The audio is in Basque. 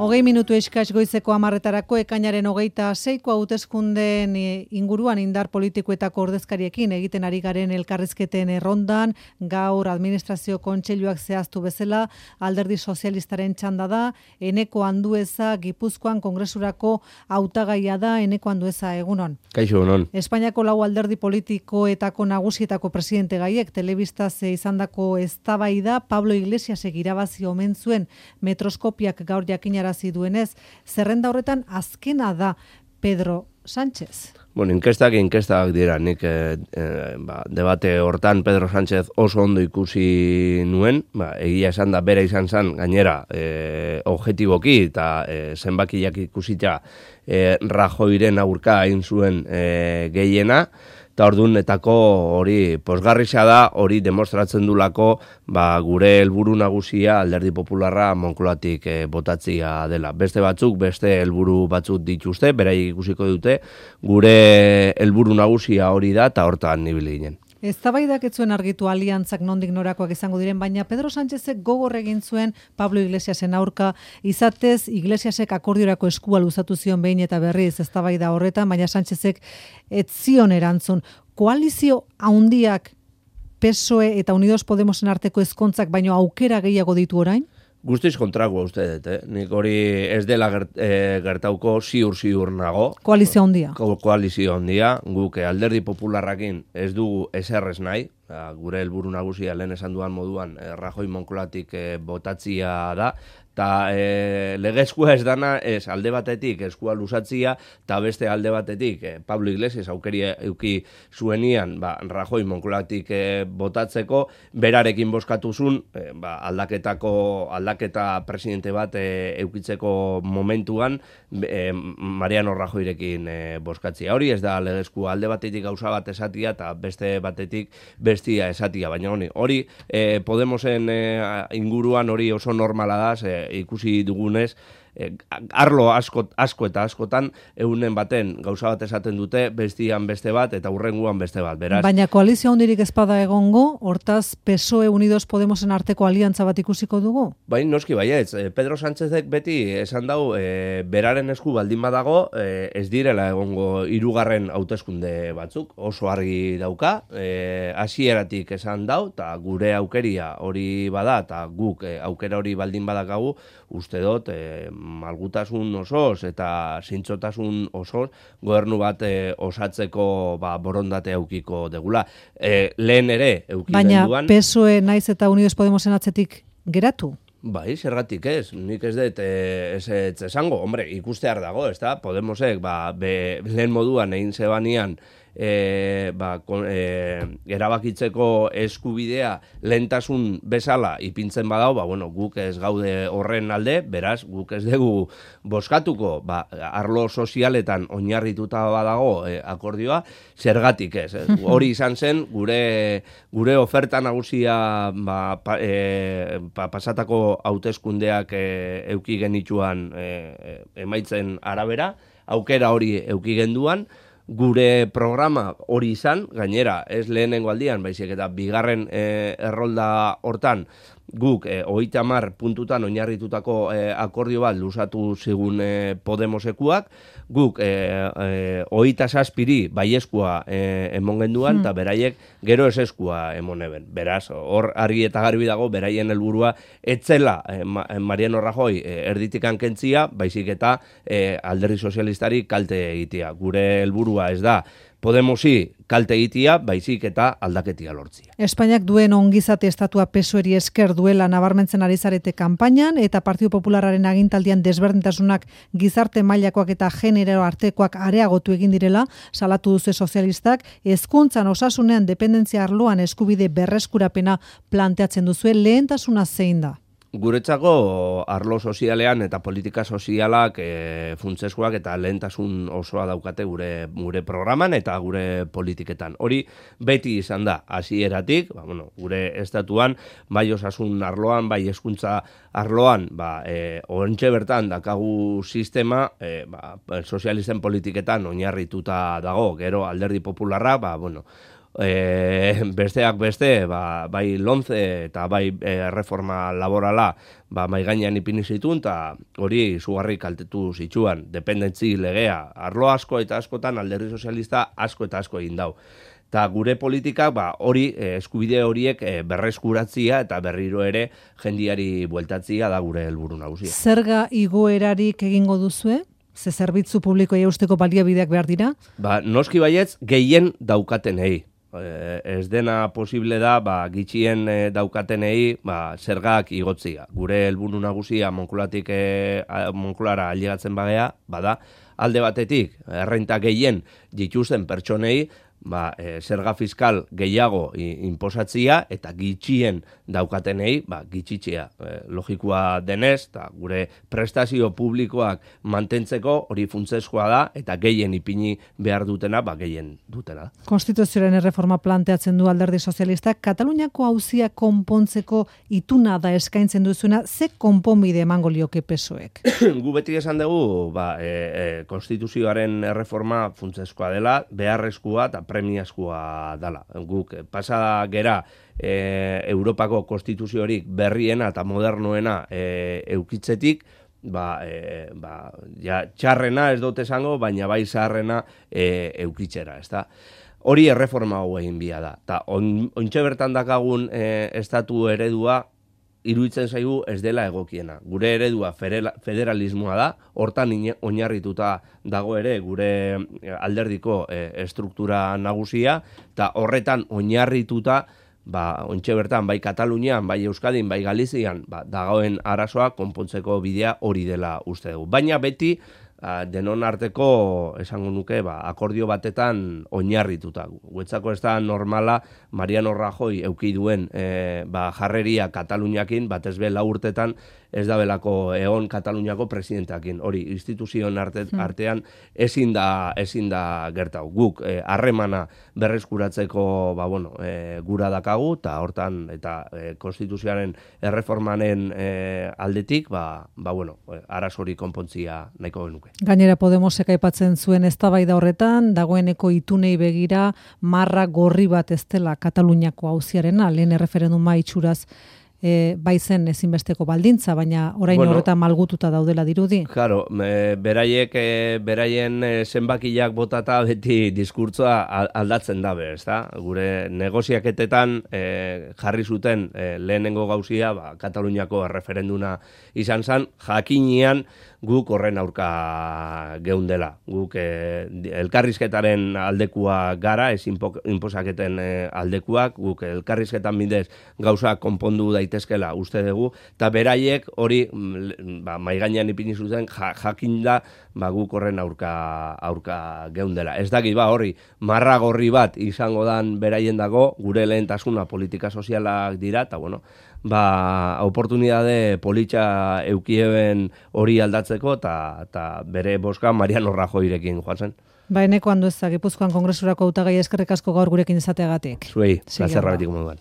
20 eskas goizeko 10:00 ekainaren 26ko hauteskundeen inguruan indar politikoetako ordezkariekin egiten ari garen elkarrizketen errondan, gaur administrazio kontseiluak zehaztu bezala, alderdi sozialistaren txanda da, Eneko Andueza Gipuzkoan kongresurako hautagaia da. Eneko Andueza, egunon. Kaixo, egunon. Espainiako lau alderdi politikoetako nagusietako presidente gaiek telebistaz izandako eztabaida Pablo Iglesiasek irabazi omen zuen metroskopiak gaur jakinara duenez, zerrenda horretan azkena da Pedro Sánchez. Bueno, inkestak dira, nik debate hortan Pedro Sánchez oso ondo ikusi nuen, egia esan da bera izan zen, gainera, objetiboki eta zenbakiak ikusita Rajoyren aurka hain zuen gehiena, eta ordunetako hori posgarrisa da, hori demostratzen dulako gure helburu nagusia alderdi popularra Moncloatik botatzia dela. Beste batzuk, beste helburu batzuk dituzte, beraiek ikusiko dute, gure helburu nagusia hori da, eta hortan ibili ginen. Eztabaidak ez zuen argitu aliantzak nondik norakoak izango diren, baina Pedro Sánchezek gogor egin zuen Pablo Iglesiasen aurka, izatez Iglesiasek akordiorako eskua luzatu zion behin eta berriz eztabaida horretan, baina Sánchezek ez zion erantzun. Koalizio handiak PSOE eta Unidos Podemosen arteko ezkontzak baino aukera gehiago ditu orain? Guztiz kontrakoa uste dut, Nik hori ez dela gertauko ziur nago. Koalizio handia. Koalizio handia, guk alderdi popularrakin ez dugu eserrez nahi, gure helburu nagusia lehen esan duan moduan Rajoy Moncloatik botatzia da, eta legezkoa ez dana ez alde batetik eskua luzatzia, eta beste alde batetik Pablo Iglesias aukeria euki zuenian Rajoy Moncloatik botatzeko, berarekin bozkatuzun aldaketa presidente bat eukitzeko momentuan Mariano Rajoyrekin bozkatzia. Hori ez da legezkoa, alde batetik gauza bat esatia eta beste batetik bestia esatia, baina hori Podemosen inguruan hori oso normala da, ikusi dugunez, arlo asko eta askotan egunen baten gauza bat esaten dute, bestian beste bat eta hurrenguan beste bat, beraz. Baina koalizio handirik ezpada egongo, hortaz PSOE Unidos Podemosen arteko aliantza bat ikusiko dugu? Bai, noski baietz. Pedro Sánchezek beti esan dau, beraren esku baldin badago, ez direla egongo hirugarren hauteskunde batzuk, oso argi dauka, hasieratik esan dau, eta gure aukeria hori bada, eta guk aukera hori baldin badakagu, uste dut, malgutasun osoz eta zintzotasun osoz gobernu bat osatzeko borondate eukiko degula. Lehen ere euki genduan. Baina PSOE naiz eta Unidos Podemosen atzetik geratu? Bai, zergatik ez. Nik ez dut ez esango. Hombre, ikustear dago, ez da? Podemosek lehen moduan egin zebanian erabakitzeko eskubidea lehentasun bezala ipintzen badau, guk ez gaude horren alde, beraz, guk ez dugu bozkatuko, arlo sozialetan oinarrituta badago akordioa, zergatik ez. Hori izan zen, gure oferta nagusia pasatako hauteskundeak euki genituan emaitzen arabera, aukera hori euki genduan, gure programa hori izan, gainera ez lehenengo aldian, baizik eta bigarren errolda hortan, guk 30 puntutan oinarritutako akordio bat luzatu zigun Podemosekuak, guk 27 baieskua emon genduan, eta beraiek gero eseskua emon eben. Beraz, hor argi eta garbi dago, beraien helburua etzela Mariano Rajoy erditikan kentzia, baizik eta alderdi sozialistari kalte egitea. Gure helburua ez da Podemosi kalte egitea, baizik eta aldaketia lortzia. Espainiak duen ongizate estatua PSOEri esker duela nabarmentzen ari zarete kanpainan, eta Partido Popularraren agintaldian desberdintasunak gizarte mailakoak eta genero artekoak areagotu egin direla, salatu duzu sozialistak, hezkuntzan osasunean dependentzia arloan eskubide berreskurapena planteatzen duzue, lehentasuna zein da? Guretzako arlo sozialean eta politika sozialak funtsezkoak eta lehentasun osoa daukate gure programan eta gure politiketan. Hori beti izan da, hasieratik, gure estatuan, bai osasun arloan, bai hezkuntza arloan, oraintxe bertan dakagu sistema, sozialisten politiketan oinarrituta dago, gero alderdi popularra, besteak beste, bai lonze eta bai reforma laborala mai gainean ipini zituen, eta hori izugarri kaltetu zituen, dependentzi legea, arlo asko eta askotan alderdi sozialista asko eta asko egin dau. Eta gure politikak hori eskubide horiek berreskuratzia eta berriro ere jendiari bueltatzia da gure helburu nagusia. Zerga igoerarik egingo duzue? Ze zerbitzu publikoei eusteko baliabideak behar dira? Noski baietz gehien daukatenei. Ez dena posible da gitxien daukatenei zergak igotzia. Gure helburu nagusia Monkulara ailegatzen bagea, bada alde batetik errenta gehien dituzten pertsonei zerga fiskal gehiago inposatzia eta gitxien daukatenei gitxitzea. Logikoa denez, eta gure prestazio publikoak mantentzeko hori funtsezkoa da eta gehien ipini behar dutena, gehien dutena. Konstituzioaren erreforma planteatzen du alderdi sozialistak, Kataluniako auzia konpontzeko ituna da eskaintzen duzuena, ze konponbide emango lioke PSOEk? Gu beti esan dugu, konstituzioaren erreforma funtsezkoa dela, beharrezkoa eta premiazkoa dela. Guk pasa gera Europako konstituziorik berriena eta modernoena eukitzetik, txarrena ez dut esango, baina bai zaharrena eukitzera, ezta? Hori erreforma hau egin bia da. Ta ontxe bertan dakagun estatu eredua iruditzen zaigu ez dela egokiena. Gure eredua federalismoa da, hortan oinarrituta dago ere gure alderdiko estruktura nagusia, eta horretan oinarrituta ontxe bertan, bai Katalunian, bai Euskadin, bai Galizian, dagoen arazoa konpontzeko bidea hori dela uste dugu. Baina beti, denon arteko, esango nuke, akordio batetan oinarrituta. Guetzako ez da normala Mariano Rajoy euki duen jarreria Kataluniakin, batez be 4 urtetan ez da belako egon Kataluniako presidenteakin. Hori, instituzioen artean ezin da gertau. Guk harremana berreskuratzeko gura dakagu, eta hortan, eta konstituzioaren erreformanen aldetik, arazori konpontzia nahiko genuke. Gainera Podemosek aipatzen zuen eztabaida horretan, dagoeneko itunei begira marra gorri bat ez dela Kataluniako auziarena, lehen erreferenduma itxuraz baizen ezinbesteko baldintza, baina orain horretan malgututa daudela dirudi. Claro, beraien zenbakiak botata beti diskurtsoa aldatzen dabe, ezta? Gure negoziaketetan jarri zuten lehenengo gauzia, Kataluniako erreferenduna izan zen, jakinean guk horren aurka geundela. Guk elkarrizketaren aldekua gara, ez inposaketen aldekuak, guk elkarrizketan bidez gauza konpondu daitezkela uste dugu, eta beraiek hori maigainean ipini zuten jakinda guk horren aurka geundela. Ez dakit hori marra gorri bat izango dan beraien dago, gure lehentasuna politika sozialak dira, eta oportunidade politxa eukieben hori aldatzeko, eta bere boska Mariano Rajoyrekin joan zen. Eneko Andueza, Gipuzkoan Kongresurako hautagai eskerrik asko gaur gurekin izateagatik. Zuei, plazerra betik moduan.